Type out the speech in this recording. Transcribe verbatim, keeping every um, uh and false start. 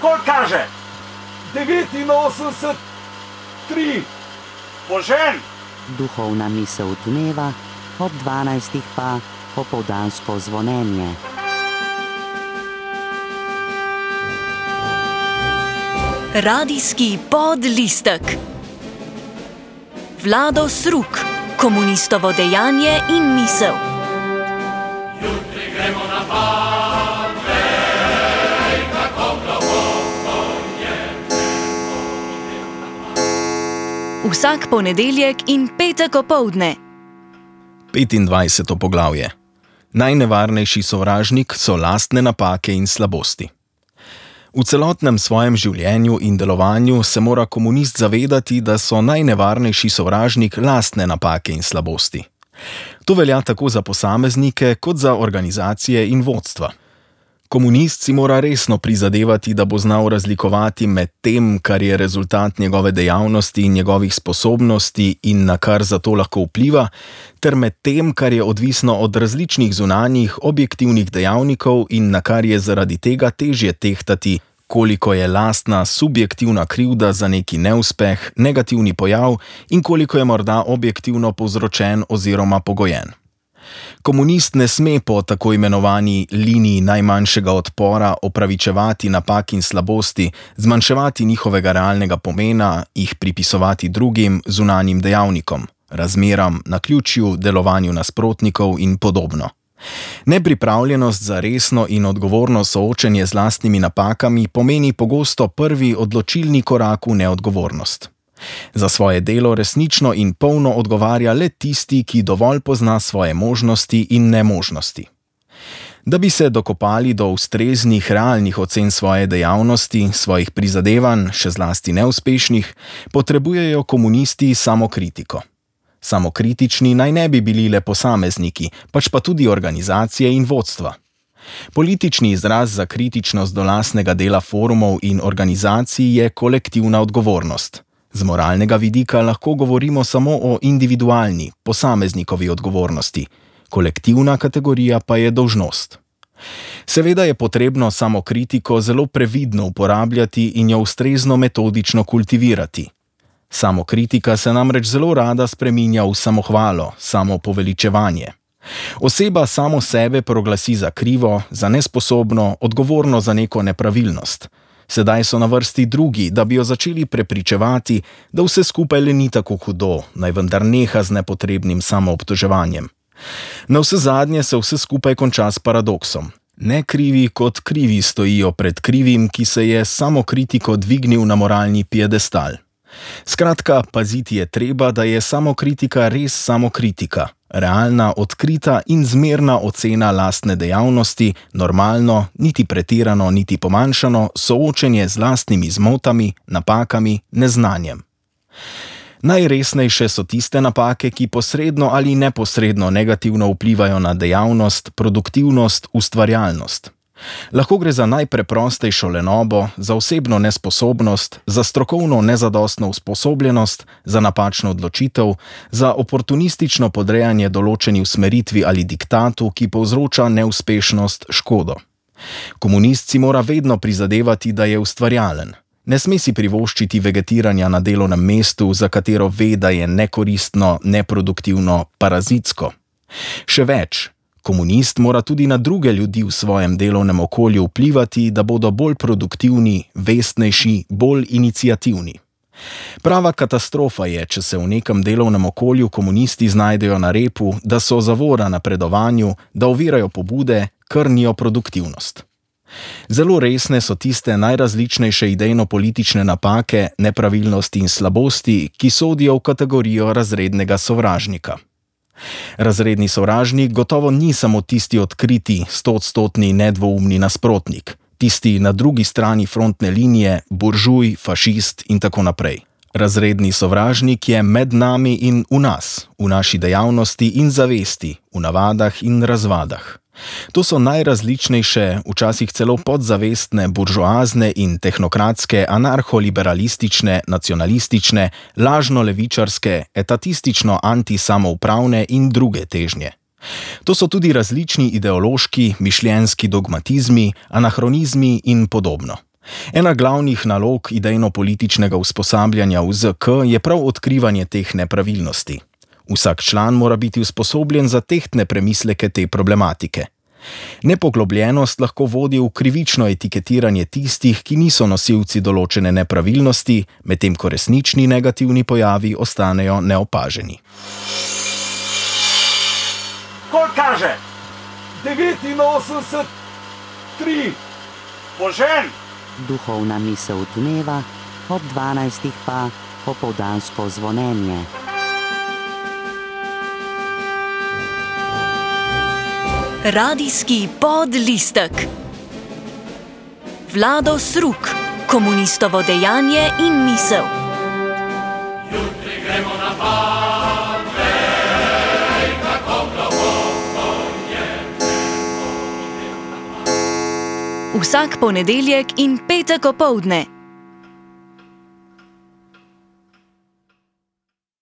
Koliko kaže? devetinosemdeset tri. Požen! Duhovna misel dneva, ob dvanajstih pa popoldansko zvonjenje. Radijski podlistek. Vlado Sruk, komunistovo dejanje in misel. Jutri gremo na Badvej, kako globoko je nebo. Vsak ponedeljek in petek opoldne. petindvajseto poglavje. Najnevarnejši sovražnik so lastne napake in slabosti. V celotnem svojem življenju in delovanju se mora komunist zavedati, da so najnevarnejši sovražnik lastne napake in slabosti. To velja tako za posameznike, kot za organizacije in vodstva. Komunist si mora resno prizadevati, da bo znal razlikovati med tem, kar je rezultat njegove dejavnosti in njegovih sposobnosti in na kar zato lahko vpliva, ter med tem, kar je odvisno od različnih zunanjih, objektivnih dejavnikov in na kar je zaradi tega težje tehtati, koliko je lastna subjektivna krivda za neki neuspeh, negativni pojav in koliko je morda objektivno povzročen oziroma pogojen. Komunist ne sme po tako imenovani liniji najmanjšega odpora opravičevati napak in slabosti, zmanjševati njihovega realnega pomena, jih pripisovati drugim zunanjim dejavnikom, razmeram, naključju, delovanju nasprotnikov in podobno. Nepripravljenost za resno in odgovorno soočenje z lastnimi napakami pomeni pogosto prvi odločilni korak v neodgovornost. Za svoje delo resnično in polno odgovarja le tisti, ki dovolj pozna svoje možnosti in nemožnosti. Da bi se dokopali do ustreznih, realnih ocen svoje dejavnosti, svojih prizadevanj, še zlasti neuspešnih, potrebujejo komunisti samokritiko. Samokritični naj ne bi bili le posamezniki, pač pa tudi organizacije in vodstva. Politični izraz za kritičnost do lastnega dela forumov in organizacij je kolektivna odgovornost. Z moralnega vidika lahko govorimo samo o individualni, posameznikovi odgovornosti. Kolektivna kategorija pa je dolžnost. Seveda je potrebno samokritiko zelo previdno uporabljati in jo ustrezno metodično kultivirati. Samokritika se namreč zelo rada spreminja v samohvalo, samopoveličevanje. Oseba samo sebe proglasi za krivo, za nesposobno, odgovorno za neko nepravilnost. Sedaj so na vrsti drugi, da bi jo začeli prepričevati, da vse skupaj le ni tako hudo, naj vendar neha z nepotrebnim samoobtoževanjem. Navsezadnje se vse skupaj konča s paradoksom. Ne krivi kot krivi stojijo pred krivim, ki se je samokritiko dvignil na moralni piedestal. Skratka, paziti je treba, da je samokritika res samokritika, realna, odkrita in zmerna ocena lastne dejavnosti, normalno, niti pretirano, niti pomanjšano, soočenje z lastnimi zmotami, napakami, neznanjem. Najresnejše so tiste napake, ki posredno ali neposredno negativno vplivajo na dejavnost, produktivnost, ustvarjalnost. Lahko gre za najpreprostejšo lenobo, za osebno nesposobnost, za strokovno nezadostno usposobljenost, za napačno odločitev, za oportunistično podrejanje določeni usmeritvi ali diktatu, ki povzroča neuspešnost, škodo. Komunist si mora vedno prizadevati, da je ustvarjalen. Ne sme si privoščiti vegetiranja na delovnem mestu, za katero ve, da je nekoristno, neproduktivno, parazitsko. Še več. Komunist mora tudi na druge ljudi v svojem delovnem okolju vplivati, da bodo bolj produktivni, vestnejši, bolj iniciativni. Prava katastrofa je, če se v nekem delovnem okolju komunisti znajdejo na repu, da so zavora napredovanju, da ovirajo pobude, krnijo produktivnost. Zelo resne so tiste najrazličnejše idejno-politične napake, nepravilnosti in slabosti, ki sodijo v kategorijo razrednega sovražnika. Razredni sovražnik gotovo ni samo tisti odkriti, stoodstotni, nedvoumni nasprotnik, tisti na drugi strani frontne linije, buržuj, fašist in tako naprej. Razredni sovražnik je med nami in v nas, v naši dejavnosti in zavesti, v navadah in razvadah. To so najrazličnejše, včasih celo podzavestne, buržoazne in tehnokratske, anarholiberalistične, nacionalistične, lažno-levičarske, etatistično-antisamoupravne in druge težnje. To so tudi različni ideološki, mišljenjski dogmatizmi, anahronizmi in podobno. Ena glavnih nalog idejno-političnega usposabljanja v Z K je prav odkrivanje teh nepravilnosti. Vsak član mora biti usposobljen za tehtne premisleke te problematike. Nepoglobljenost lahko vodi v krivično etiketiranje tistih, ki niso nosilci določene nepravilnosti, medtem ko resnični negativni pojavi ostanejo neopaženi. Koliko kaže? devetinosemdeset, tri. Požen! Duhovna misel dneva, ob dvanajstih pa popoldansko zvonjenje. Radijski podlistek. Vlado Sruk, komunistovo dejanje in misel. Jutri gremo na pad, vej, kako globoko je. Vsak ponedeljek in petek opoldne.